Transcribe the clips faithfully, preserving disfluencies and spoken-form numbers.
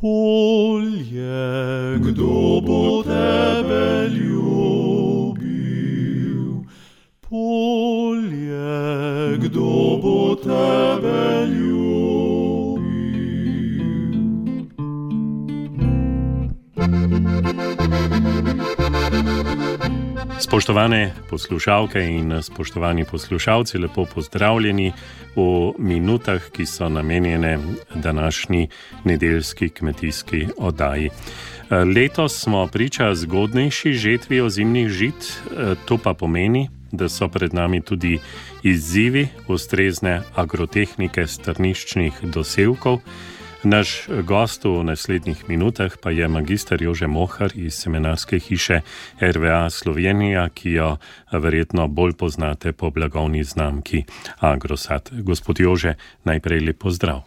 Polje, kdo bo tebe ljubil? Polje, kdo bo tebe ljubil? Spoštovane poslušalke in spoštovani poslušalci, lepo pozdravljeni v minutah, ki so namenjene današnji nedeljski kmetijski oddaji. Letos smo priča zgodnejši žetvi ozimnih žit, to pa pomeni, da so pred nami tudi izzivi ustrezne agrotehnike strniščnih dosevkov. Naš gost v naslednjih minutah pa je magister Jože Mohar iz semenarske hiše R V A Slovenija, ki jo verjetno bolj poznate po blagovni znamki Agrosat. Gospod Jože, najprej lep pozdrav.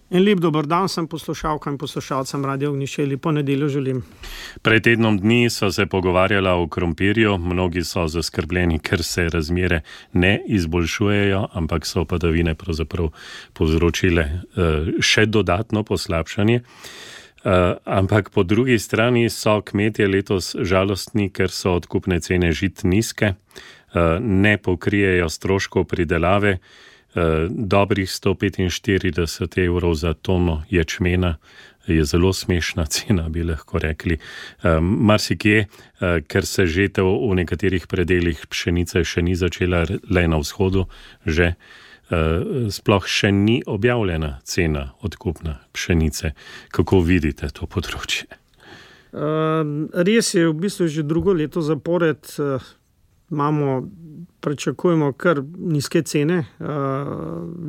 In lep dober dan sem poslušalkam in poslušalcem Radio Ognjišče, lepo nedeljo želim. Pred tednom dni so se pogovarjala o krompirju, mnogi so zaskrbljeni, ker se razmere ne izboljšujejo, ampak so padavine pravzaprav povzročile uh, še dodatno poslabšanje. Uh, ampak po drugi strani so kmetje letos žalostni, ker so odkupne cene žit nizke, uh, ne pokrijejo stroškov pridelave. Dobrih sto petinštirideset evrov za tono ječmena je zelo smešna cena, bi lahko rekli. Marsikje, ker se žetev v nekaterih predelih pšenice še ni začela, le na vzhodu, že sploh še ni objavljena cena odkupna pšenice. Kako vidite to področje? Res je, v bistvu že drugo leto zapored imamo, pričakujemo kar nizke cene.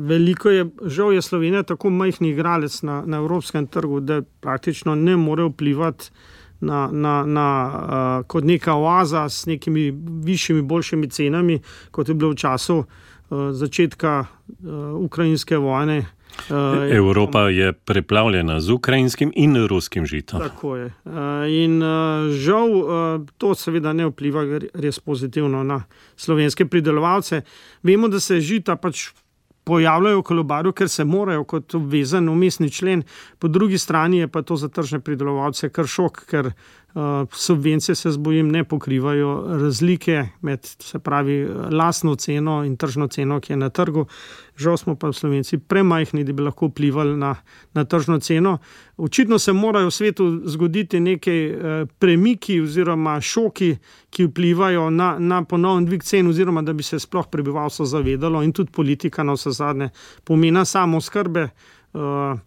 Veliko je, žal je Slovenija tako majhni igralec na, na evropskem trgu, da praktično ne more vplivati na, na, na, kot neka oaza s nekimi višjimi, boljšimi cenami, kot je bilo v času začetka ukrajinske vojne. Evropa je preplavljena z ukrajinskim in ruskim žitom. Tako je. In žal to seveda ne vpliva res pozitivno na slovenske pridelovalce. Vemo, da se žita pač pojavljajo v kolobarju, ker se morajo kot obvezen vmesni člen. Po drugi strani je pa to za tržne pridelovalce kar šok, ker uh, subvencije, se zbojim, ne pokrivajo razlike med, se pravi, lastno ceno in tržno ceno, ki je na trgu. Žal smo pa Slovenci premajhni, da bi lahko vplivali na, na tržno ceno. Očitno se morajo v svetu zgoditi neke uh, premiki oziroma šoki, ki vplivajo na, na ponovno dvig cen, oziroma da bi se sploh prebivalstvo zavedalo in tudi politika na vse zadnje pomena samooskrbe. Uh,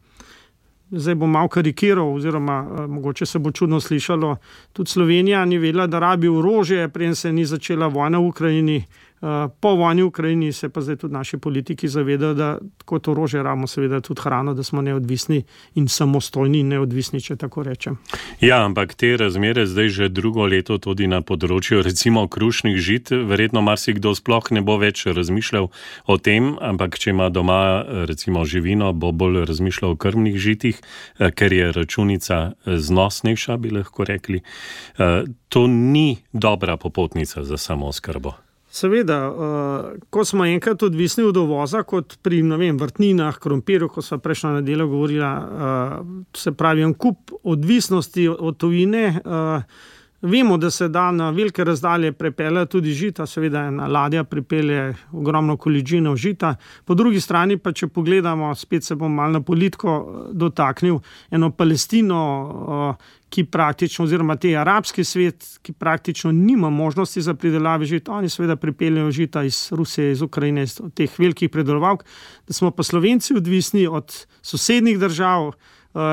zdaj bom malo karikiral, oziroma uh, mogoče se bo čudno slišalo, tudi Slovenija ni vedela, da rabi orožje, preden se ni začela vojna v Ukrajini. Uh, po vojni v Ukrajini se pa zdaj tudi naši politiki zavedajo, da kot orožje rabimo seveda tudi hrano, da smo neodvisni in samostojni in neodvisni, če tako rečem. Ja, ampak te razmere zdaj že drugo leto tudi na področju recimo krušnih žit, verjetno marsikdo sploh ne bo več razmišljal o tem, ampak če ima doma recimo živino, bo bolj razmišljal o krmnih žitih, ker je računica znosnejša, bi lahko rekli. Uh, to ni dobra popotnica za samooskrbo. Seveda, uh, ko smo enkrat odvisni od uvoza, kot pri, ne vem, vrtninah, krompirju, ko sva prejšnjo nedeljo govorila, uh, se pravi, en kup odvisnosti od tujine. Uh, vemo, da se da na velike razdalje prepelje tudi žita, seveda ena ladja pripelje ogromno količino žita. Po drugi strani pa, če pogledamo, spet se bom malo na politiko dotaknil, eno Palestino, uh, ki praktično, oziroma te arabski svet, ki praktično nima možnosti za pridelave žita. Oni seveda pripeljajo žita iz Rusije, iz Ukrajine, iz teh velikih pridelovalk, da smo pa Slovenci odvisni od sosednjih držav uh,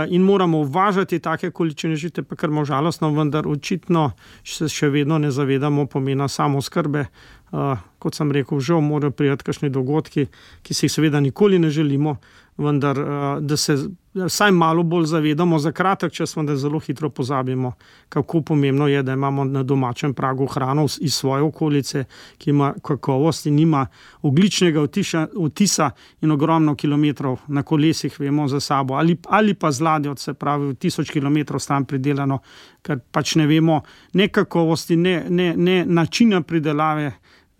in moramo uvažati take količine žite, pa kar malo žalostno, vendar očitno se še vedno ne zavedamo pomena samooskrbe. Uh, kot sem rekel, žal morajo priti kakšni dogodki, ki se jih seveda nikoli ne želimo, vendar uh, da se vsaj malo bolj zavedamo za kratek čas, vendar zelo hitro pozabimo, kako pomembno je, da imamo na domačem pragu hrano iz svoje okolice, ki ima kakovost in ima ogljičnega vtisa, vtisa in ogromno kilometrov na kolesih, vemo za sabo, ali, ali pa z ladjo, se pravi, tisoč kilometrov stran pridelano, ker pač ne vemo ne kakovosti, ne, ne, ne načina pridelave.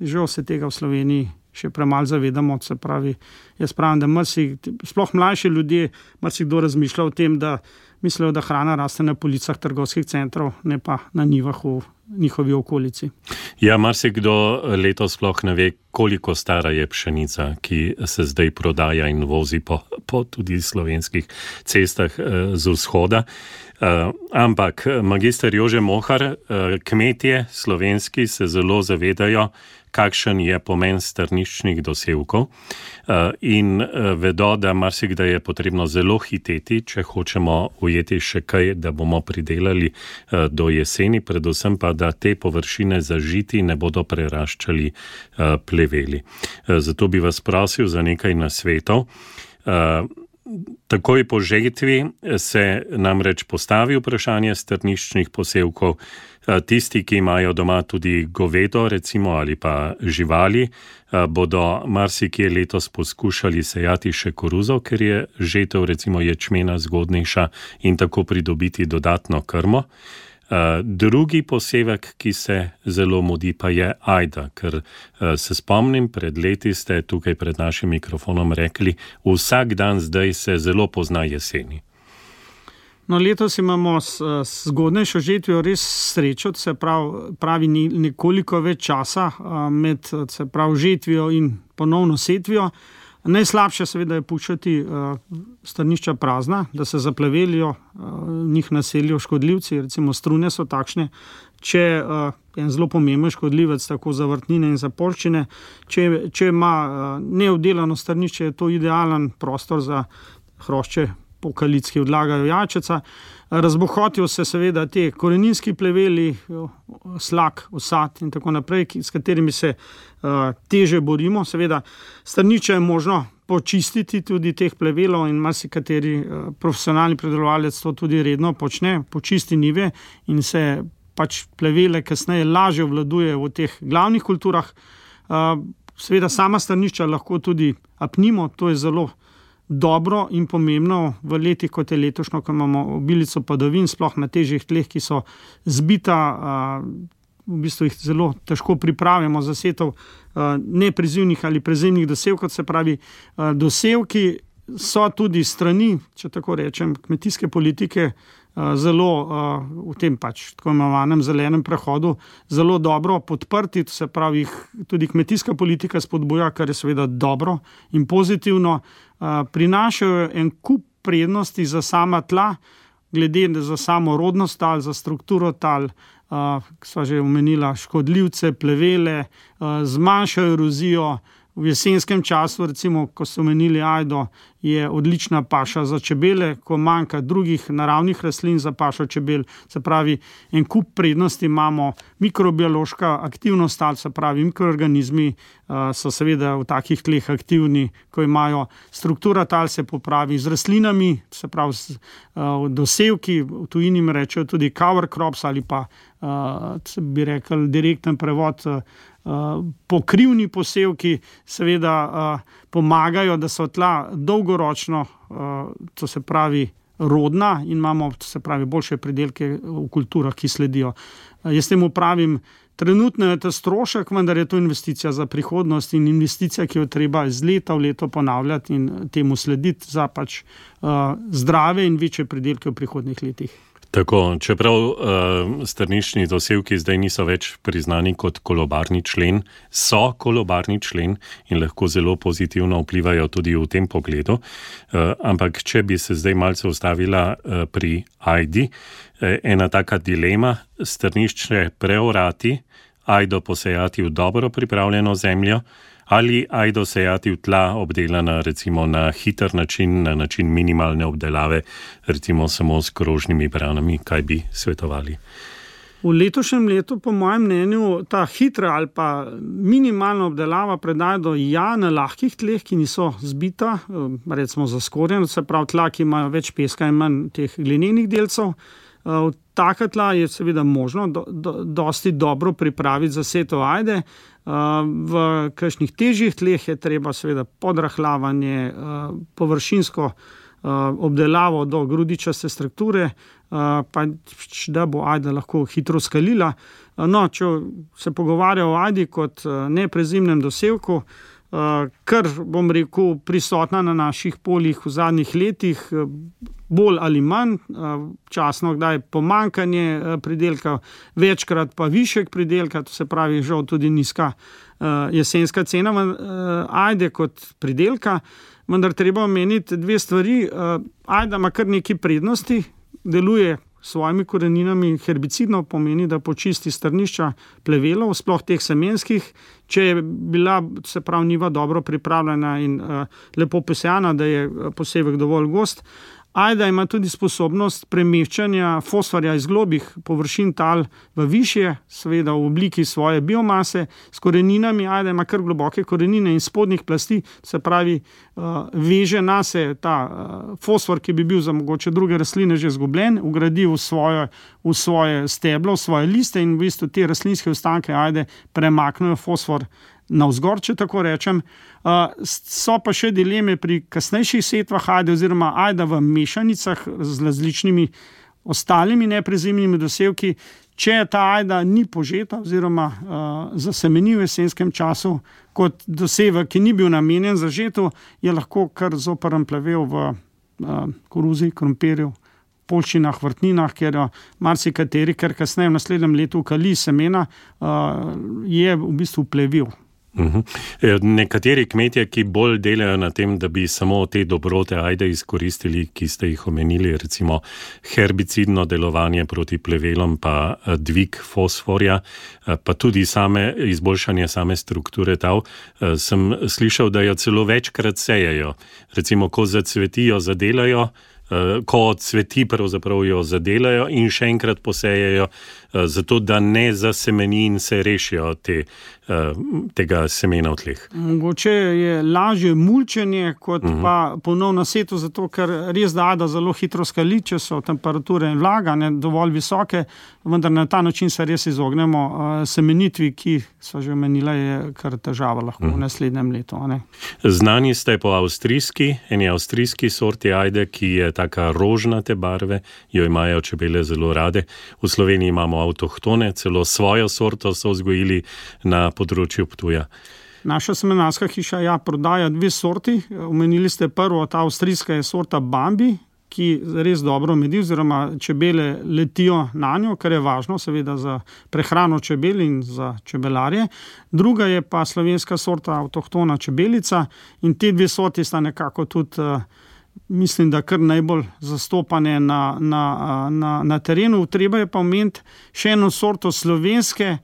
Žal se tega v Sloveniji še premalo zavedamo. Se pravi, jaz pravim, da marsi, sploh mlajši ljudje, marsikdo razmišlja o tem, da mislijo, da hrana raste na policah trgovskih centrov, ne pa na njivah v njihovi okolici. Ja, marsikdo letos sploh ne ve, koliko stara je pšenica, ki se zdaj prodaja in vozi po, po tudi slovenskih cestah eh, z vzhoda. Uh, ampak magister Jože Mohar, uh, kmetje slovenski se zelo zavedajo, kakšen je pomen strniščnih dosevkov uh, in uh, vedo, da marsikdaj je potrebno zelo hiteti, če hočemo ujeti še kaj, da bomo pridelali uh, do jeseni, predvsem pa, da te površine zažiti ne bodo preraščali uh, pleveli. Uh, zato bi vas prosil za nekaj nasvetov. Uh, Takoj po žetvi se namreč postavi vprašanje strniščnih posevkov. Tisti, ki imajo doma tudi govedo, recimo, ali pa živali, bodo marsikje letos poskušali sejati še koruzo, ker je žetev recimo ječmena zgodnejša in tako pridobiti dodatno krmo. Uh, drugi posevek, ki se zelo mudi, pa je ajda, ker uh, se spomnim, pred leti ste tukaj pred našim mikrofonom rekli, vsak dan zdaj se zelo pozna jeseni. No, letos imamo s, s zgodnejšo žetvijo res srečo, se pravi, pravi nekoliko več časa uh, med se pravi, žetvijo in ponovno setvijo. Najslabše seveda je puščati uh, strnišča prazna, da se zaplevelijo, uh, njih naselijo škodljivci, recimo strune so takšne. Če uh, je en zelo pomemben škodljivec tako za vrtnine in za poljščine, če, če ima uh, neobdelano strnišče, je to idealen prostor za hrošče pokalic, ki odlagajo jajčeca. Razbohotijo se seveda te koreninski pleveli, slak, osad in tako naprej, s katerimi se uh, teže borimo. Seveda strniče je možno počistiti tudi teh plevelov in marsikateri uh, profesionalni pridelovalec to tudi redno počne, počisti njive in se pač plevele kasneje lažje obvladuje v teh glavnih kulturah. Uh, seveda sama strnišča lahko tudi apnimo, to je zelo dobro in pomembno v letih, kot je letošnjo, ko imamo obilico padavin, sploh na težjih tleh, ki so zbita, v bistvu jih zelo težko pripravimo za setov neprizivnih ali prezimnih dosevkov, se pravi, dosevki so tudi strani, če tako rečem, kmetijske politike zelo v tem pač tako imenovanem zelenem prehodu zelo dobro podprti, se pravi, tudi kmetijska politika spodbuja, kar je seveda dobro in pozitivno. Prinašajo en kup prednosti za sama tla, glede za samo rodnost tal, za strukturo tal, ki sva že omenila škodljivce, plevele, zmanjšajo erozijo. V jesenskem času, recimo, ko so omenili ajdo, je odlična paša za čebele, ko manjka drugih naravnih rastlin za pašo čebel. Se pravi, en kup prednosti imamo, mikrobiološka aktivnost tal, se pravi, mikroorganizmi uh, so seveda v takih tleh aktivni, ko imajo struktura tal se popravi z rastlinami, se pravi, z, uh, dosevki, v tujini rečejo tudi cover crops ali pa, uh, bi rekel, direkten prevod, uh, Uh, pokrivni posevki seveda uh, pomagajo, da so tla dolgoročno, uh, to se pravi, rodna in imamo, to se pravi, boljše pridelke v kulturah, ki sledijo. Uh, jaz temu pravim, trenutno je to strošek, vendar je to investicija za prihodnost in investicija, ki jo treba iz leta v leto ponavljati in temu slediti za pač uh, zdrave in večje pridelke v prihodnjih letih. Tako, čeprav uh, strniščni dosevki zdaj niso več priznani kot kolobarni člen, so kolobarni člen in lahko zelo pozitivno vplivajo tudi v tem pogledu. Uh, ampak, če bi se zdaj malce ustavila uh, pri ajdi, uh, ena taka dilema, strnišče preorati, ajdo posejati v dobro pripravljeno zemljo, ali ajdo sejati v tla obdelana recimo na hiter način, na način minimalne obdelave, recimo samo s krožnimi branami, kaj bi svetovali? V letošnjem letu, po mojem mnenju, ta hitra ali pa minimalna obdelava predaja do ja na lahkih tleh, ki niso zbita, recimo zaskorjena, se pravi tla, ki imajo več peska in manj teh glinenih delcev. V taka tla je seveda možno do, do, dosti dobro pripraviti za setev ajde. V kakšnih težjih tleh je treba seveda podrahlavanje, površinsko obdelavo do grudičaste strukture, pa da bo ajda lahko hitro skalila. No, če se pogovarja o ajdi kot neprezimnem dosevku, kar, bom rekel, prisotna na naših poljih v zadnjih letih, bolj ali manj, časno kdaj pomanjkanje pridelka, večkrat pa višek pridelka, to se pravi žal tudi nizka jesenska cena ajde kot pridelka, vendar treba omeniti dve stvari. Ajda ima kar nekaj prednosti, deluje s svojimi koreninami herbicidno, pomeni, da počisti strnišča plevelov, sploh teh semenskih, če je bila, se pravi, njiva dobro pripravljena in uh, lepo posejana, da je posevek dovolj gost. Ajda ima tudi sposobnost premeščanja fosforja iz globih površin tal v višje, seveda v obliki svoje biomase, s koreninami. Ajda ima kar globoke korenine in spodnjih plasti, se pravi, veže nase ta fosfor, ki bi bil za mogoče druge rastline že izgubljen, vgradi v svoje, v svoje steblo, v svoje liste in v bistvu te rastlinske ostanke ajde premaknejo fosfor navzgor, če tako rečem. So pa še dileme pri kasnejših setvah ajde oziroma ajda v mešanicah z različnimi ostalimi neprezimnimi dosevki. Če ta ajda ni požeta oziroma zasemeni v jesenskem času kot dosevek, ki ni bil namenjen za žeto, je lahko kar zoprn plevel v koruzi, krompirju, poljščinah, vrtninah, ker marsikateri, ker kasneje v naslednjem letu kali semena, je v bistvu plevil. Uhum. Nekateri kmetje, ki bolj delajo na tem, da bi samo te dobrote ajde izkoristili, ki ste jih omenili, recimo herbicidno delovanje proti plevelom, pa dvig fosforja, pa tudi same izboljšanje same strukture tal, sem slišal, da jo celo večkrat sejejo. Recimo, ko zacvetijo, zadelajo, ko cveti, pravzaprav jo zadelajo in še enkrat posejejo, zato da ne zasemeni in se rešijo te, tega semena v tleh. Mogoče je lažje mulčenje kot uh-huh. pa ponovno seto, zato ker res da ajda zelo hitro skali, če so temperature in vlaga ne dovolj visoke, vendar na ta način se res izognemo semenitvi, ki so že omenila, je kar težava lahko uh-huh. v naslednjem letu. Ne? Znani ste po avstrijski, eni avstrijski sorti ajde, ki je taka rožnate barve, jo imajo čebele zelo rade. V Sloveniji imamo avtohtone, celo svojo sorto so vzgojili na področju Ptuja. Naša semenarska hiša ja prodaja dve sorti. Omenili ste prvo, ta avstrijska je sorta Bambi, ki res dobro medi, oziroma čebele letijo na njo, kar je važno seveda za prehrano čebel in za čebelarje. Druga je pa slovenska sorta avtohtona čebelica in te dve sorti sta nekako tudi mislim, da kar najbolj zastopane na, na, na, na terenu. Treba je pa omeniti še eno sorto slovenske,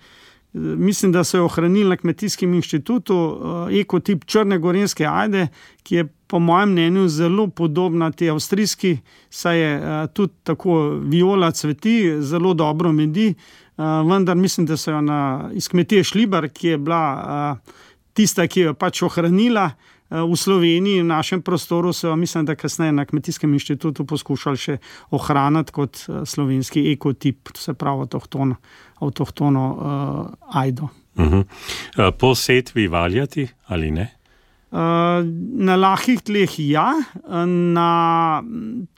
mislim, da so jo ohranili na Kmetijskem inštitutu, ekotip črne gorenjske ajde, ki je po mojem mnenju zelo podobna te avstrijski, saj je tudi tako viola cveti, zelo dobro medi, vendar mislim, da so jo na, iz kmetije Šlibar, ki je bila tista, ki jo pač ohranila, v Sloveniji, v našem prostoru so, mislim, da kasneje na Kmetijskem inštitutu poskušali še ohraniti kot slovenski ekotip, to se pravi avtohtono, avtohtono uh, ajdo. Uh-huh. Po setvi valjati ali ne? Uh, na lahkih tleh ja, na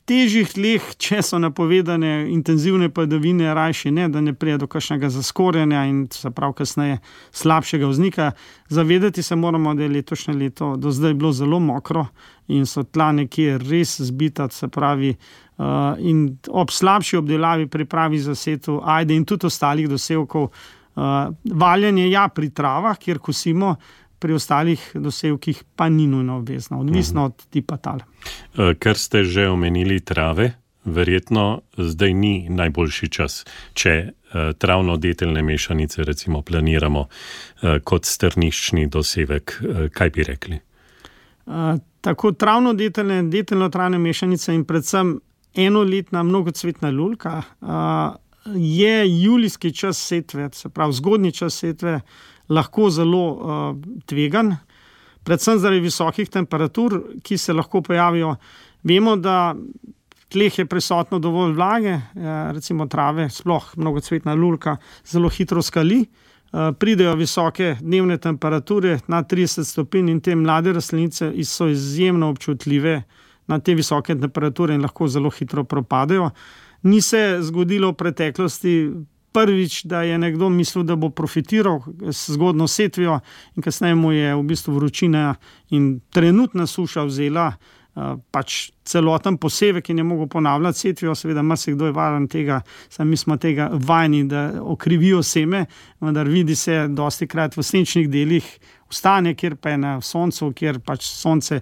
težjih tleh, če so napovedane intenzivne padavine, rajši ne, da ne prije do kakšnega zaskorjanja in se prav kasneje slabšega vznika. Zavedati se moramo, da je letošnje leto do zdaj bilo zelo mokro in so tla nekje res zbita, se pravi, uh, in ob slabši obdelavi pripravi za setev ajde in tudi ostalih dosevkov. Uh, valjanje ja pri travah, kjer kosimo, pri ostalih dosevkih pa ni nujno obvezno, odvisno od tipa tal. Ker ste že omenili trave, verjetno zdaj ni najboljši čas, če travno-deteljne mešanice recimo planiramo kot strniščni dosevek. Kaj bi rekli? Tako travno-deteljne, deteljno-travne mešanice in predvsem enoletna mnogocvetna lulka je julijski čas setve, se pravi zgodnji čas setve, lahko zelo uh, tvegan, predvsem zaradi visokih temperatur, ki se lahko pojavijo. Vemo, da tleh je prisotno dovolj vlage, eh, recimo trave, sploh mnogocvetna lulka, zelo hitro skali, eh, pridejo visoke dnevne temperature na trideset stopinj in te mlade rastlinice so izjemno občutljive na te visoke temperature in lahko zelo hitro propadejo. Ni se zgodilo v preteklosti prvič, da je nekdo mislil, da bo profitiral s zgodno setvijo in kasneje mu je v bistvu vročina in trenutna suša vzela pač celoten posevek in je mogel ponavljati setvijo, seveda marsikdo je varen tega, sami smo tega vajeni, da okrivijo seme, vendar vidi se dosti krat v senčnih delih ostane, kjer pa je na soncu, kjer pač sonce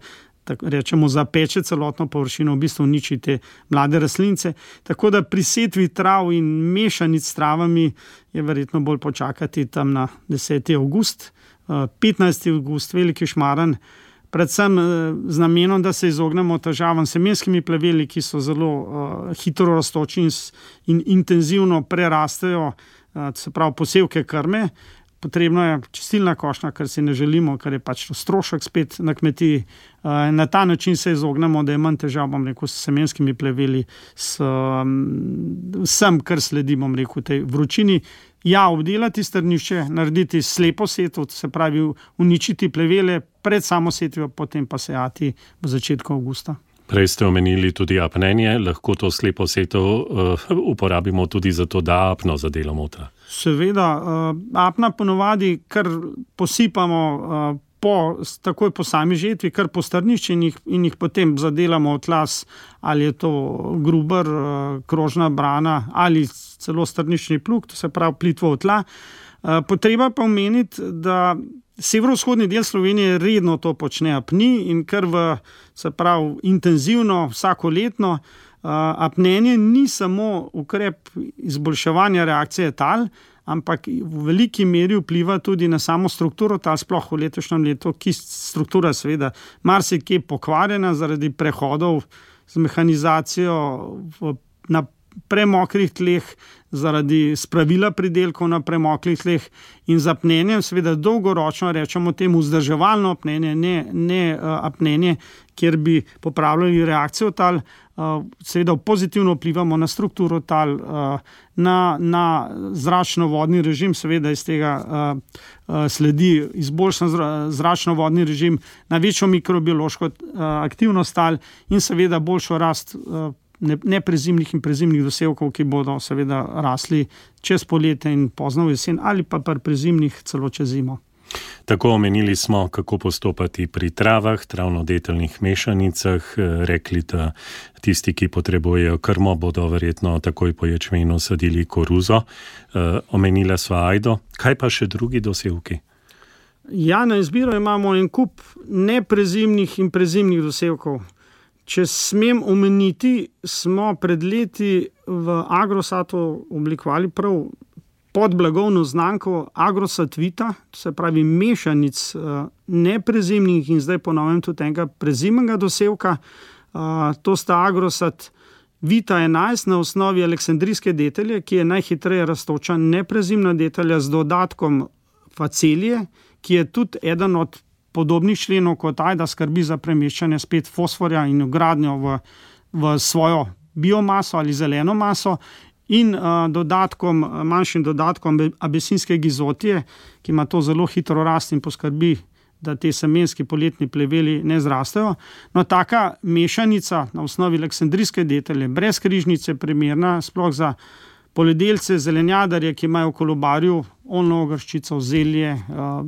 tako rečemo zapeče celotno površino, v bistvu uniči te mlade rastlince. Tako da pri setvi trav in mešanic s travami je verjetno bolj počakati tam na deseti avgust, petnajsti avgust, veliki šmaran, predvsem z namenom, da se izognemo težavam s semenskimi pleveli, ki so zelo uh, hitro rastoči in, in intenzivno prerastejo, uh, se pravi posevke krme. Potrebno je čistilna košnja, kar si ne želimo, kar je pač strošek spet na kmetiji. Uh, na ta način se izognemo, da je manj težav, bom rekel, s semenskimi pleveli, s um, vsem, kar sledi, bom rekel, tej vročini. Ja, obdelati strnišče, narediti slepo setvo, se pravi uničiti plevele pred samo setvijo, potem pa sejati v začetku avgusta. Prej ste omenili tudi apnenje, lahko to slepo setvo uh, uporabimo tudi za to, da apno zadelamo ta. Seveda, uh, apna ponovadi kar posipamo uh, po, takoj po sami žetvi, kar po strnišče in jih, in jih potem zadelamo v tlas, ali je to gruber, uh, krožna brana ali celo strniščni plug, to se pravi plitvo v tla. Uh, potreba pa omeniti, da severovzhodni del Slovenije redno to počne apni in kar v, se pravi, intenzivno, vsakoletno. Uh, apnenje ni samo ukrep izboljševanja reakcije tal, ampak v veliki meri vpliva tudi na samo strukturo tal, sploh v letošnjem letu, ki struktura seveda marsikje pokvarjena zaradi prehodov z mehanizacijo v, na premokrih tleh, zaradi spravila pridelkov na premoklih tleh in z apnenjem, seveda dolgoročno rečemo temu vzdrževalno apnenje, ne, ne uh, apnenje, kjer bi popravljali reakcijo tal, uh, seveda pozitivno vplivamo na strukturo tal, uh, na, na zračno-vodni režim, seveda iz tega uh, uh, sledi izboljšan zra, zračno-vodni režim, na večjo mikrobiološko uh, aktivnost tal in seveda boljšo rast uh, neprezimnih in prezimnih dosevkov, ki bodo seveda rasli čez poletje in pozno v jesen ali pa pri prezimnih celo čez zimo. Tako omenili smo, kako postopati pri travah, travno-deteljnih mešanicah, rekli, da tisti, ki potrebujejo krmo, bodo verjetno takoj po ječmenu sadili koruzo. E, omenila sva ajdo, kaj pa še drugi dosevki? Ja, na izbiro imamo en kup neprezimnih in prezimnih dosevkov. Če smem omeniti, smo pred leti v Agrosatu oblikovali prav pod blagovno znamko Agrosat Vita, to se pravi mešanic neprezimnih in zdaj ponovim tudi enega prezimnega dosevka. To sta Agrosat Vita enajst na osnovi aleksandrijske detelje, ki je najhitreje rastoča neprezimna detelja z dodatkom facelije, ki je tudi eden od podobnih členov kot ajda, skrbi za premeščanje spet fosforja in vgradnjo v, v svojo biomaso ali zeleno maso in uh, dodatkom, manjšim dodatkom abesinske gizotije, ki ima to zelo hitro rast in poskrbi, da te semenski poletni pleveli ne zrastejo. No, taka mešanica na osnovi aleksandrijske detelje, brez križnice, primerna sploh za poljedelce, zelenjadarje, ki imajo v kolobarju oljno ogrščico, zelje, uh,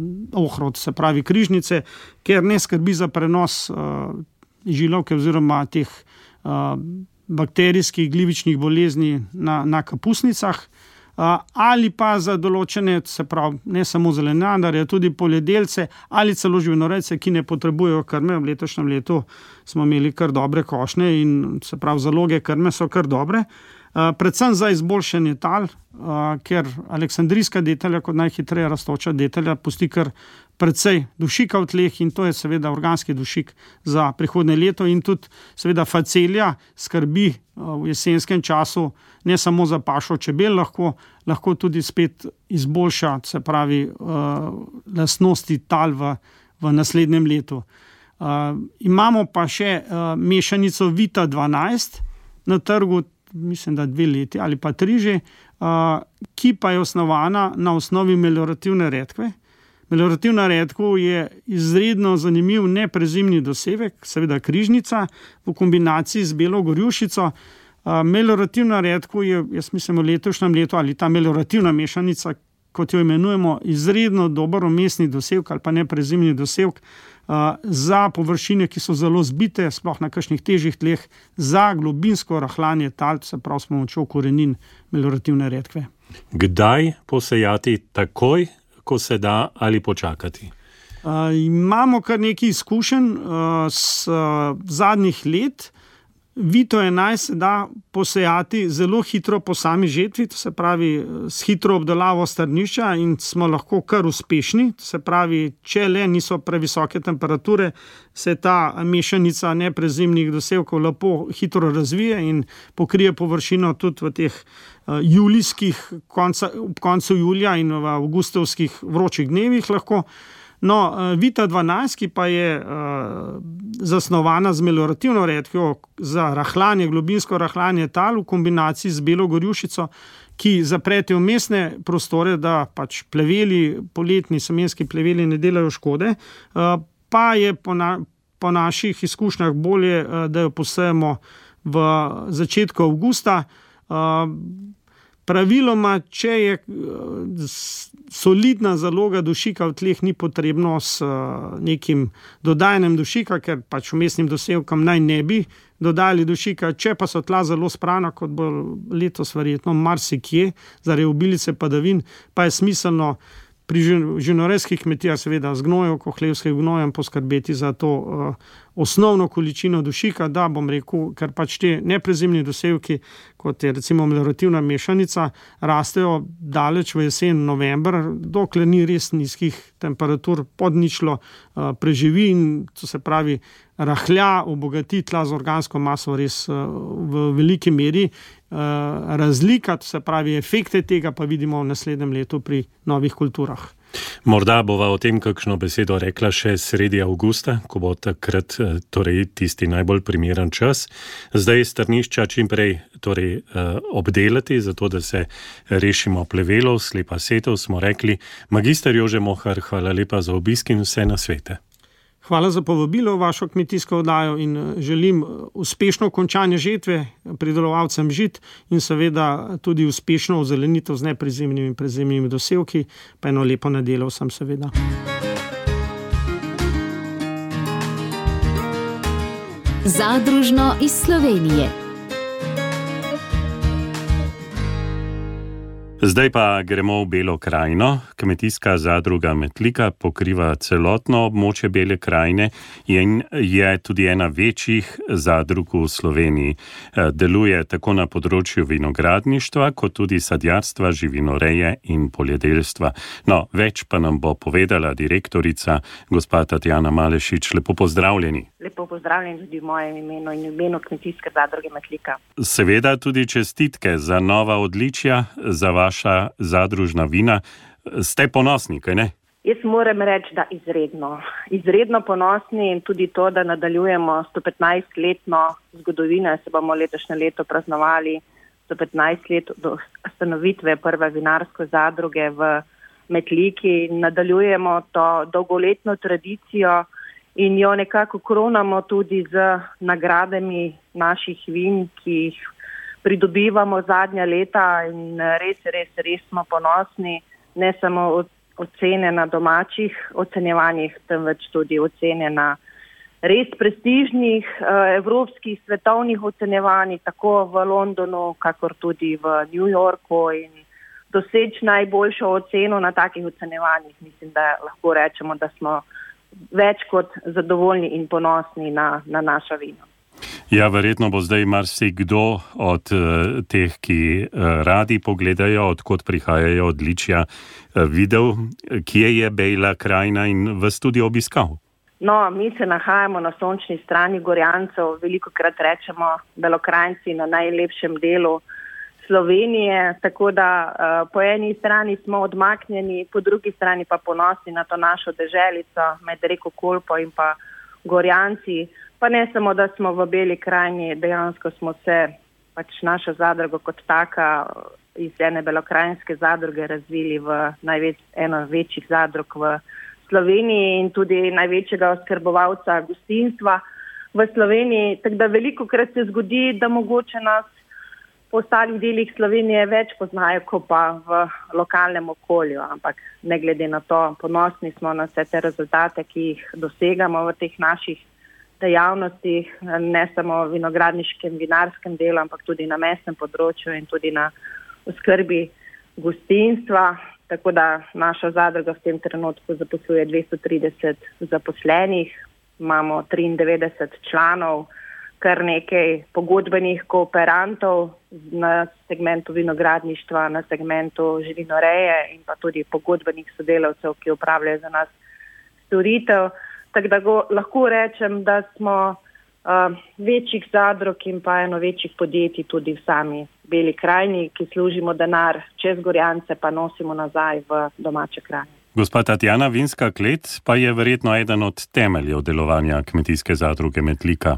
ohrovt, se pravi križnice, ker ne skrbi za prenos uh, žilovke oziroma teh uh, bakterijskih glivičnih bolezni na, na kapusnicah, uh, ali pa za določene, se pravi, ne samo zelenjadarje, tudi poljedelce ali celo živinorejce, ki ne potrebujejo krme. V letošnjem letu smo imeli kar dobre košnje in se pravi, zaloge krme so kar dobre. Uh, predvsem za izboljšanje tal, uh, ker aleksandrijska detelja kot najhitreje rastoča detelja pusti kar precej dušika v tleh in to je seveda organski dušik za prihodnje leto in tudi seveda facelija skrbi uh, v jesenskem času ne samo za pašo čebel, lahko, lahko tudi spet izboljša, se pravi, uh, lastnosti tal v, v naslednjem letu. Uh, imamo pa še uh, mešanico Vita dvanajst na trgu, mislim, da dve leti ali pa tri že, uh, ki pa je osnovana na osnovi meliorativne redkve. Meliorativna redkev je izredno zanimiv neprezimni dosevek, seveda križnica v kombinaciji z belo gorjušico. Uh, meliorativna redkev je, jaz mislim, v letošnjem letu ali ta meliorativna mešanica, kot jo imenujemo, izredno dober umestni dosevek ali pa neprezimni dosevek uh, za površine, ki so zelo zbite, sploh na kakšnih težjih tleh, za globinsko rahljanje tal, se pravi s pomočjo korenin meliorativne redkve. Kdaj posejati, takoj, ko se da, ali počakati? Uh, imamo kar nekaj izkušenj uh, s uh, zadnjih let. Vito enajst se da posejati zelo hitro po sami žetvi, to se pravi s hitro obdelavo strnišča in smo lahko kar uspešni, to se pravi, če le niso previsoke temperature, se ta mešanica neprezimnih dosevkov lepo hitro razvije in pokrije površino tudi v teh uh, julijskih, konca, ob koncu julija in v avgustovskih vročih dnevih lahko. No, Vita dvanajst, ki pa je uh, zasnovana z meliorativno redkvijo za rahljanje, globinsko rahljanje tal v kombinaciji z belo gorjušico, ki zaprete vmesne prostore, da pač pleveli, poletni semenski pleveli ne delajo škode, uh, pa je po, na, po naših izkušnjah bolje, uh, da jo posejemo v začetku avgusta. Uh, Praviloma, če je solidna zaloga dušika v tleh, ni potrebno s nekim dodajanjem dušika, ker pač vmesnim dosevkom naj ne bi dodali dušika. Če pa so tla zelo sprana, kot bo letos verjetno marsikje, zaradi obilice padavin, pa je smiselno pri živinorejskih kmetijah seveda z gnojev, kohlevskih gnojem poskrbeti za to uh, osnovno količino dušika, da bom rekel, ker pač te neprezimni dosevki, kot je recimo meliorativna mešanica, rastejo daleč v jesen, november, dokler ni res nizkih temperatur, pod ničlo uh, preživi in to se pravi rahlja, obogati tla z organsko maso res uh, v veliki meri. Uh, razlika, to se pravi efekte tega, pa vidimo v naslednjem letu pri novih kulturah. Morda bova o tem kakšno besedo rekla še sredi avgusta, ko bo takrat torej tisti najbolj primeren čas. Zdaj strnišča čim prej torej, uh, obdelati, zato da se rešimo plevelov, slepa setev, smo rekli. Magister Jože Mohar, hvala lepa za obisk in vse nasvete. Hvala za povabilo v vašo kmetijsko oddajo in želim uspešno končanje žetve pridelovalcem žit in seveda tudi uspešno ozelenitev z neprezimnimi in prezimnimi dosevki, pa eno lepo nedeljo vsem seveda. Zadružno iz Slovenije. Zdaj pa gremo v Belo krajino. Kmetijska zadruga Metlika pokriva celotno območje Bele krajine in je tudi ena večjih zadrug v Sloveniji. Deluje tako na področju vinogradništva, kot tudi sadjarstva, živinoreje in poljedelstva. No, več pa nam bo povedala direktorica gospa Tatjana Malešič. Lepo pozdravljeni. Lepo pozdravljeni tudi v mojem imenu in v imenu Kmetijske zadruge Metlika. Seveda tudi čestitke za nova odličja, za vaša zadružna vina. Ste ponosni, kaj ne? Jaz moram reči, da izredno. Izredno ponosni in tudi to, da nadaljujemo sto petnajstletno zgodovino. Se bomo letošnje leto praznovali sto petnajst let do ustanovitve prve vinarske zadruge v Metliki. Nadaljujemo to dolgoletno tradicijo in jo nekako kronamo tudi z nagradami naših vin, ki jih pridobivamo zadnja leta in res, res, res smo ponosni, ne samo ocene na domačih ocenjevanjih, temveč tudi ocene na res prestižnih evropskih svetovnih ocenjevanjih, tako v Londonu, kakor tudi v New Yorku in doseči najboljšo oceno na takih ocenjevanjih. Mislim, da lahko rečemo, da smo več kot zadovoljni in ponosni na, na naša vina. Ja, verjetno bo zdaj marsikdo od uh, teh, ki uh, radi pogledajo, odkot prihajajo odličja, uh, videl, kje je Bela krajina in vas tudi obiskal. No, mi se nahajamo na sončni strani Gorjancev, velikokrat rečemo Belokranjci na najlepšem delu Slovenije, tako da uh, po eni strani smo odmaknjeni, po drugi strani pa ponosni na to našo deželico med reko Kolpo in pa Gorjanci. Pa ne samo, da smo v Beli krajini, dejansko smo se, pač naša zadruga kot taka iz ene belokranjske zadruge razvili v največ, eno večjih zadrug v Sloveniji in tudi največjega oskrbovalca gostinstva v Sloveniji. Tako da veliko krat se zgodi, da mogoče nas po ostalih delih Slovenije več poznajo, kot pa v lokalnem okolju, ampak ne glede na to, ponosni smo na vse te rezultate, ki jih dosegamo v teh naših dejavnostih, ne samo v vinogradniškem, vinarskem delu, ampak tudi na mestnem področju in tudi na oskrbi gostinstva. Tako da naša zadruga v tem trenutku zaposluje dvesto trideset zaposlenih, imamo triindevetdeset članov, kar nekaj pogodbenih kooperantov na segmentu vinogradništva, na segmentu živinoreje in pa tudi pogodbenih sodelavcev, ki upravljajo za nas storitev. Tako da go, lahko rečem, da smo uh, večjih zadrug in pa eno večjih podjetij tudi v sami Beli krajini, ki služimo denar čez Gorjance, pa nosimo nazaj v domače krajine. Gospa Tatjana, vinska klet pa je verjetno eden od temeljev delovanja kmetijske zadruge Metlika.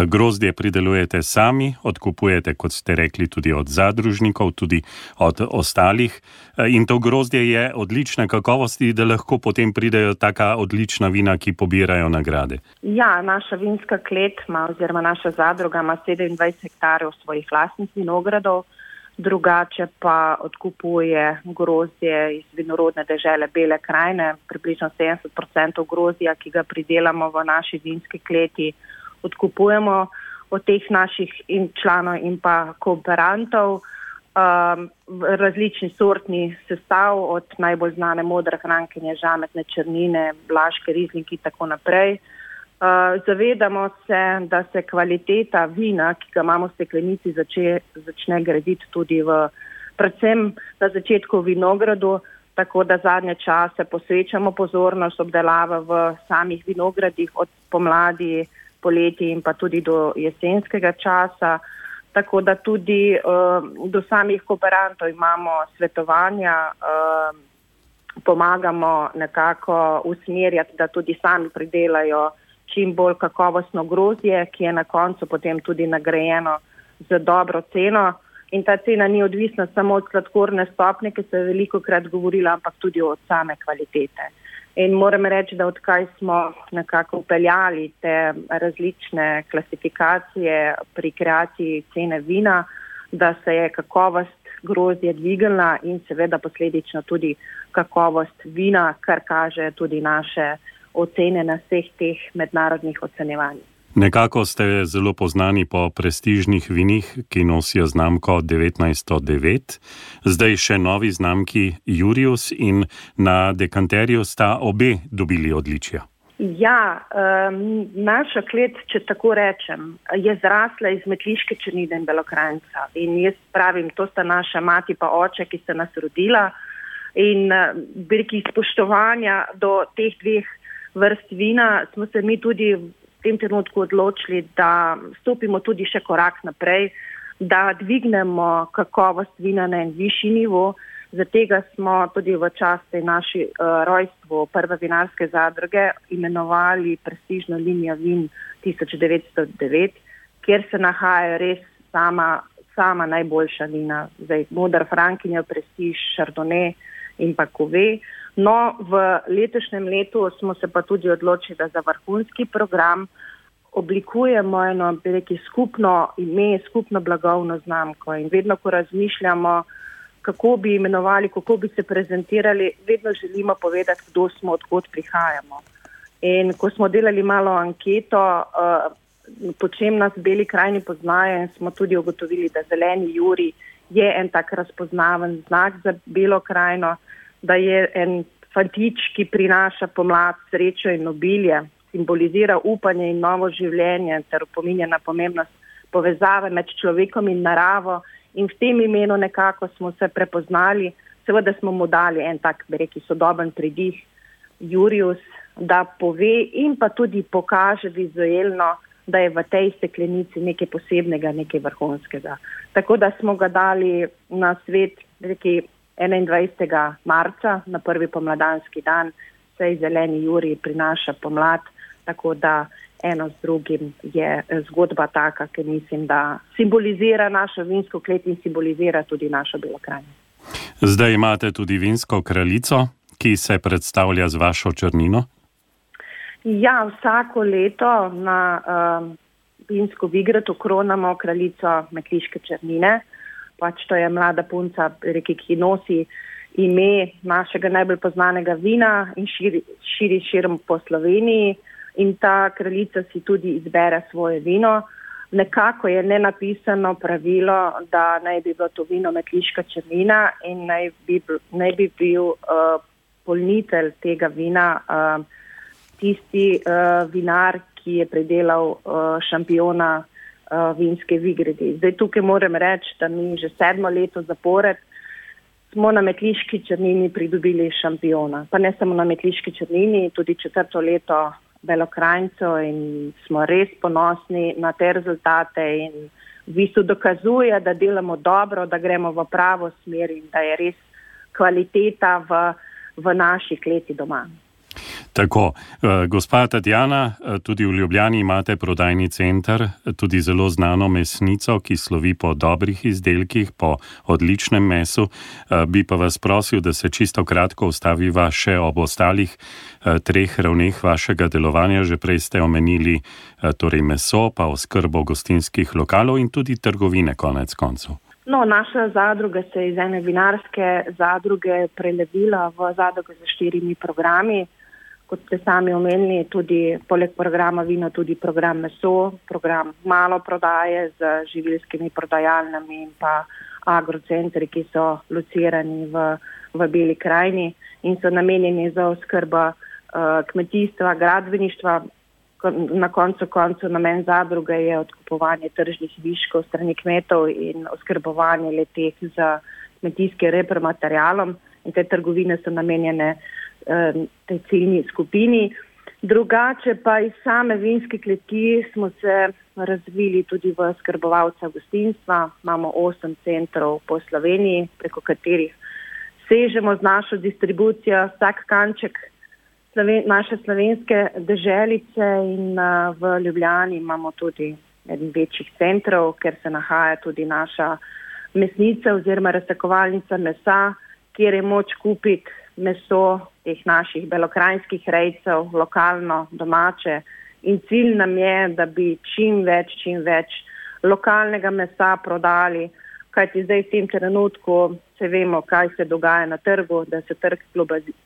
Grozdje pridelujete sami, odkupujete, kot ste rekli, tudi od zadružnikov, tudi od ostalih. In to grozdje je odlične kakovosti, da lahko potem pridejo taka odlična vina, ki pobirajo nagrade. Ja, naša vinska klet ima, oziroma naša zadruga ima sedemindvajset hektarjev svojih lastnih vinogradov, drugače pa odkupuje grozdje iz vinorodne dežele Bele krajine, približno sedemdeset procentov grozdja, ki ga pridelamo v naši vinski kleti, odkupujemo od teh naših in članov in pa kooperantov, um, različni sortni sestav, od najbolj znane modre hrankenje, žametne črnine, blaške rizlinki in tako naprej. Uh, zavedamo se, da se kvaliteta vina, ki ga imamo v steklenici, zače, začne graditi tudi v, predvsem na začetku v vinogradu, tako da zadnje čase posvečamo pozornost obdelave v samih vinogradih od pomladi, poleti in pa tudi do jesenskega časa. Tako da tudi uh, do samih kooperantov imamo svetovanja, uh, pomagamo nekako usmerjati, da tudi sami pridelajo čim bolj kakovostno grozdje, ki je na koncu potem tudi nagrajeno za dobro ceno. In ta cena ni odvisna samo od sladkorne stopnje, ki se je veliko krat govorila, ampak tudi od same kvalitete. In moram reči, da odkaj smo nekako upeljali te različne klasifikacije pri kreaciji cene vina, da se je kakovost grozdje dvignila in seveda posledično tudi kakovost vina, kar kaže tudi naše ocene na vseh teh mednarodnih ocenjevanjih. Nekako ste zelo poznani po prestižnih vinih, ki nosijo znamko devetnajststo devet. Zdaj še novi znamki Jurius in na dekanterju sta obe dobili odličja. Ja, um, naša klet, če tako rečem, je zrasla iz metliške črnine in belokranjca. In jaz pravim, to sta naša mati pa oče, ki sta nas rodila. In veliko spoštovanja do teh dveh vrst vina smo se mi tudi v tem trenutku odločili, da stopimo tudi še korak naprej, da dvignemo kakovost vina na en višji nivo. Zato smo tudi v časti naši uh, rojstvu prve vinarske zadruge imenovali prestižno linijo vin tisoč devetsto devet, kjer se nahajajo res sama, sama najboljša vina. Zdaj, modra hrankenja, prestiž, šardone in pa kove. No, v letošnjem letu smo se pa tudi odločili, da za vrhunski program oblikujemo eno rekel, skupno ime, skupno blagovno znamko. In vedno, ko razmišljamo, kako bi imenovali, kako bi se prezentirali, vedno želimo povedati, kdo smo, odkot prihajamo. In ko smo delali malo anketo, uh, po čem nas v Beli krajini poznajo, in smo tudi ugotovili, da zeleni Jurij je en tak razpoznaven znak za Belo krajino, da je en fantič, ki prinaša pomlad, srečo in obilje, simbolizira upanje in novo življenje ter opominja na pomembnost povezave med človekom in naravo. In v tem imenu nekako smo se prepoznali, seveda smo mu dali en tak, bi rekel, sodoben pridih Jurius, da pove in pa tudi pokaže vizualno, da je v tej steklenici nekaj posebnega, nekaj vrhunskega. Tako da smo ga dali na svet, bi rekel, enaindvajsetega marca, na prvi pomladanski dan, saj zeleni Jurij prinaša pomlad, tako da eno z drugim je zgodba taka, ki mislim, da simbolizira našo vinsko klet in simbolizira tudi našo Belo krajino. Zdaj imate tudi vinsko kraljico, ki se predstavlja z vašo črnino? Ja, vsako leto na um, vinsko vigratu kronamo kraljico metliške črnine. pač to je mlada punca, reki, ki nosi ime našega najbolj poznanega vina in širi, širi širom po Sloveniji in ta kraljica si tudi izbere svoje vino. Nekako je nenapisano pravilo, da naj bi bilo to vino metliška črnina in naj bi, naj bi bil uh, polnitelj tega vina uh, tisti uh, vinar, ki je predelal uh, šampiona uh, vinske Vigredi. Zdaj tukaj moram reči, da mi že sedmo leto zapored smo na metliški črnini pridobili šampiona. Pa ne samo na metliški črnini, tudi četrto leto Belokranjcev in smo res ponosni na te rezultate in v bistvu dokazuje, da delamo dobro, da gremo v pravo smer in da je res kvaliteta v, v naši kleti doma. Tako, gospa Tatjana, tudi v Ljubljani imate prodajni center, tudi zelo znano mesnico, ki slovi po dobrih izdelkih, po odličnem mesu. Bi pa vas prosil, da se čisto kratko ustaviva še ob ostalih treh ravneh vašega delovanja. Že prej ste omenili torej meso, pa oskrbo gostinskih lokalov in tudi trgovine konec koncev. No, naša zadruga se je iz ene vinarske zadruge prelevila v zadrugo za štirimi programi. Kot ste sami omenili, tudi poleg programa vino, tudi program meso, program malo prodaje z živilskimi prodajalnami in pa agrocentri, ki so locirani v, v Beli krajini in so namenjeni za oskrbo uh, kmetijstva, gradbeništva. Na koncu koncu namen zadruge je odkupovanje tržnih viškov strani kmetov in oskrbovanje leteh z kmetijskim repromaterialom in te trgovine so namenjene tej ciljni skupini. Drugače pa iz same vinske kleti smo se razvili tudi v skrbovalca gostinstva. Imamo osem centrov po Sloveniji, preko katerih sežemo z našo distribucijo vsak kanček Sloven, naše slovenske deželice in uh, v Ljubljani imamo tudi eden večjih centrov, ker se nahaja tudi naša mesnica oziroma razsakovalnica mesa, kjer je moč kupiti meso teh naših belokranjskih rejcev, lokalno, domače. In cilj nam je, da bi čim več, čim več lokalnega mesa prodali, kajti zdaj v tem trenutku se vemo, kaj se dogaja na trgu, da se trg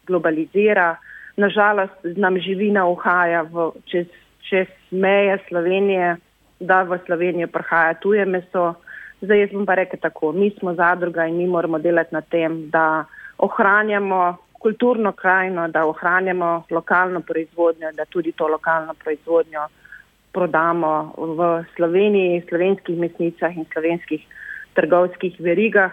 globalizira. Nažalost nam živina uhaja v, čez, čez meje Slovenije, da v Slovenijo prihaja tuje meso. Zdaj jaz bom pa rekel tako, mi smo zadruga in mi moramo delati na tem, da ohranjamo kulturno krajino, da ohranjamo lokalno proizvodnjo, da tudi to lokalno proizvodnjo prodamo v Sloveniji, slovenskih mesnicah in slovenskih trgovskih verigah.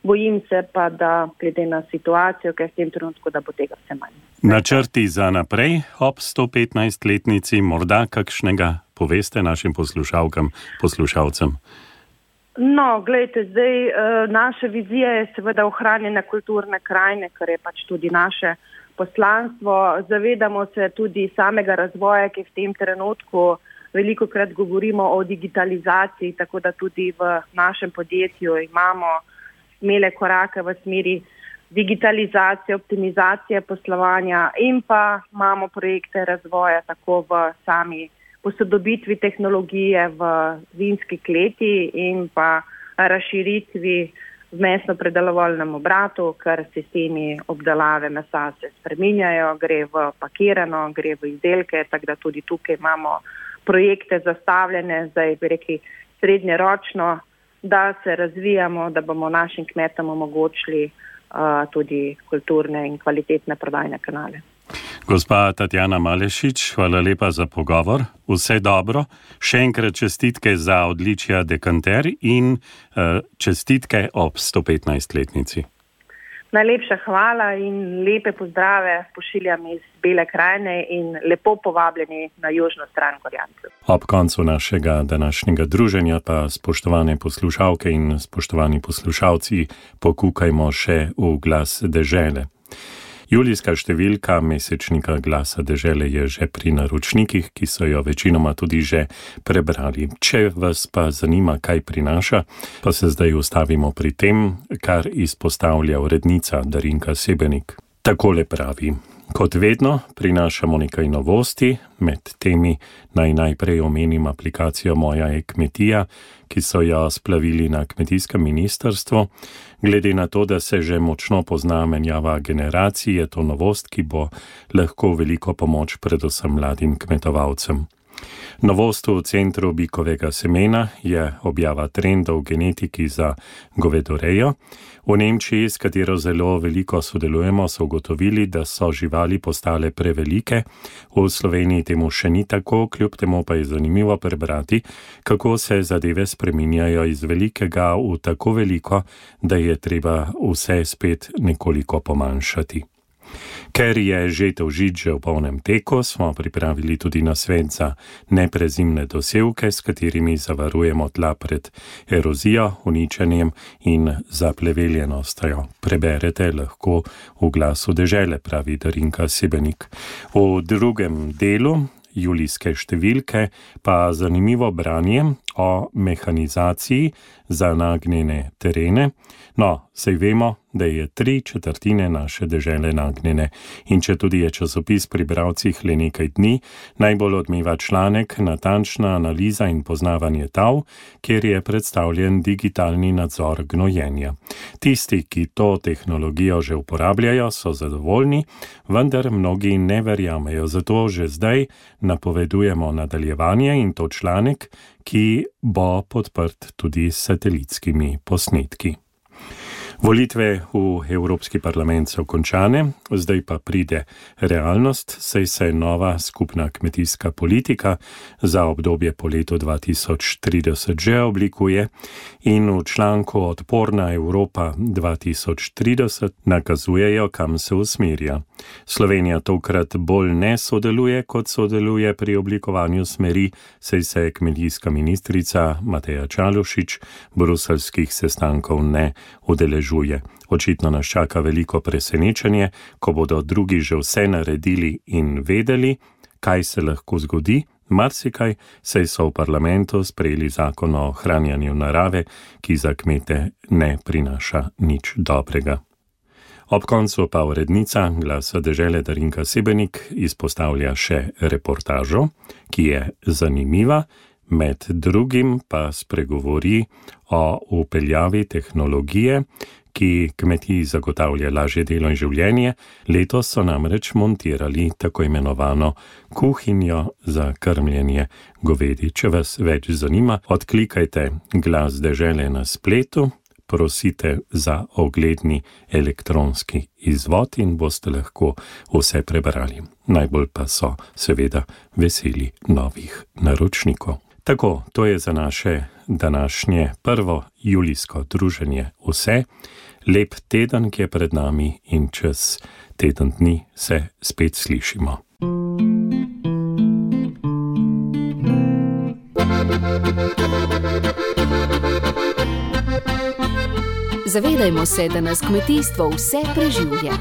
Bojim se pa, da glede na situacijo, ker v tem trenutku, da bo tega vse manj. Načrti za naprej ob sto petnajstletnici, morda kakšnega poveste našim poslušalkam, poslušalcem? No, gledajte, zdaj naša vizija je seveda ohranjena kulturne krajine, kar je pač tudi naše poslanstvo. Zavedamo se tudi samega razvoja, ki v tem trenutku veliko krat govorimo o digitalizaciji, tako da tudi v našem podjetju imamo smele korake v smeri digitalizacije, optimizacije poslovanja in pa imamo projekte razvoja tako v sami posodobitvi tehnologije v vinski kleti in pa razširitvi v mesno-predelovalnem obratu, ker sistemi obdelave mesa se spreminjajo, gre v pakirano, gre v izdelke, tako da tudi tukaj imamo projekte zastavljene, zdaj bi rekli srednjeročno, da se razvijamo, da bomo našim kmetom omogočili uh, tudi kulturne in kvalitetne prodajne kanale. Gospa Tatjana Malešič, hvala lepa za pogovor. Vse dobro. Še enkrat čestitke za odličja dekanter in uh, čestitke ob sto petnajstletnici. Najlepša hvala in lepe pozdrave pošiljam iz Bele krajine in lepo povabljeni na južno stran Gorjancev. Ob koncu našega današnjega druženja pa, spoštovane poslušalke in spoštovani poslušalci, pokukajmo še v Glas dežele. Julijska številka mesečnika Glasa dežele je že pri naročnikih, ki so jo večinoma tudi že prebrali. Če vas pa zanima, kaj prinaša, pa se zdaj ustavimo pri tem, kar izpostavlja urednica Darinka Sebenik. Takole pravi. Kot vedno prinašamo nekaj novosti, med temi naj najprej omenim aplikacijo Moja e-kmetija, ki so jo splavili na kmetijskem ministrstvu. Glede na to, da se že močno pozna menjava generacij, je to novost, ki bo lahko veliko pomoč predvsem mladim kmetovalcem. Novost v centru bikovega semena je objava trendov v genetiki za govedorejo. V Nemčiji, s katero zelo veliko sodelujemo, so ugotovili, da so živali postale prevelike. V Sloveniji temu še ni tako, kljub temu pa je zanimivo prebrati, kako se zadeve spreminjajo iz velikega v tako veliko, da je treba vse spet nekoliko pomanjšati. Ker je žetev žit že v polnem teku, smo pripravili tudi nasvet za neprezimne dosevke, s katerimi zavarujemo tla pred erozijo, uničenjem in zapleveljenostjo. Preberete lahko v Glasu dežele, pravi Darinka Sebenik. V drugem delu julijske številke pa zanimivo branje o mehanizaciji za nagnjene terene. No, sej vemo, da je tri četrtine naše dežele nagnjene in če tudi je časopis pri bralcih le nekaj dni, najbolj odmeva članek Natančna analiza in poznavanje tal, kjer je predstavljen digitalni nadzor gnojenja. Tisti, ki to tehnologijo že uporabljajo, so zadovoljni, vendar mnogi ne verjamejo, zato že zdaj napovedujemo nadaljevanje in to članek, ki bo podprt tudi s satelitskimi posnetki. Volitve v Evropski parlament so končane, zdaj pa pride realnost, saj se nova skupna kmetijska politika za obdobje po letu dva tisoč trideset že oblikuje in v članku Odporna Evropa dva tisoč trideset nakazujejo, kam se usmerja. Slovenija tokrat bolj ne sodeluje, kot sodeluje pri oblikovanju smeri, saj se kmetijska ministrica Mateja Čalušić bruseljskih sestankov ne udeležuje. Očitno nas čaka veliko presenečenje, ko bodo drugi že vse naredili in vedeli, kaj se lahko zgodi. Marsikaj, saj so v parlamentu sprejeli zakon o ohranjanju narave, ki za kmete ne prinaša nič dobrega. Ob koncu pa urednica Glasa dežele Darinka Sebenik izpostavlja še reportažo, ki je zanimiva, med drugim pa spregovori o upeljavi tehnologije, ki kmetiji zagotavlja lažje delo in življenje. Letos so namreč montirali tako imenovano kuhinjo za krmljenje govedi. Če vas več zanima, odklikajte Glas dežele na spletu, prosite za ogledni elektronski izvod in boste lahko vse prebrali. Najbolj pa so seveda veseli novih naročnikov. Tako, to je za naše današnje prvo julijsko druženje vse. Lep teden, ki je pred nami in čez teden dni se spet slišimo. Zavedajmo se, da nas kmetijstvo vse preživlja.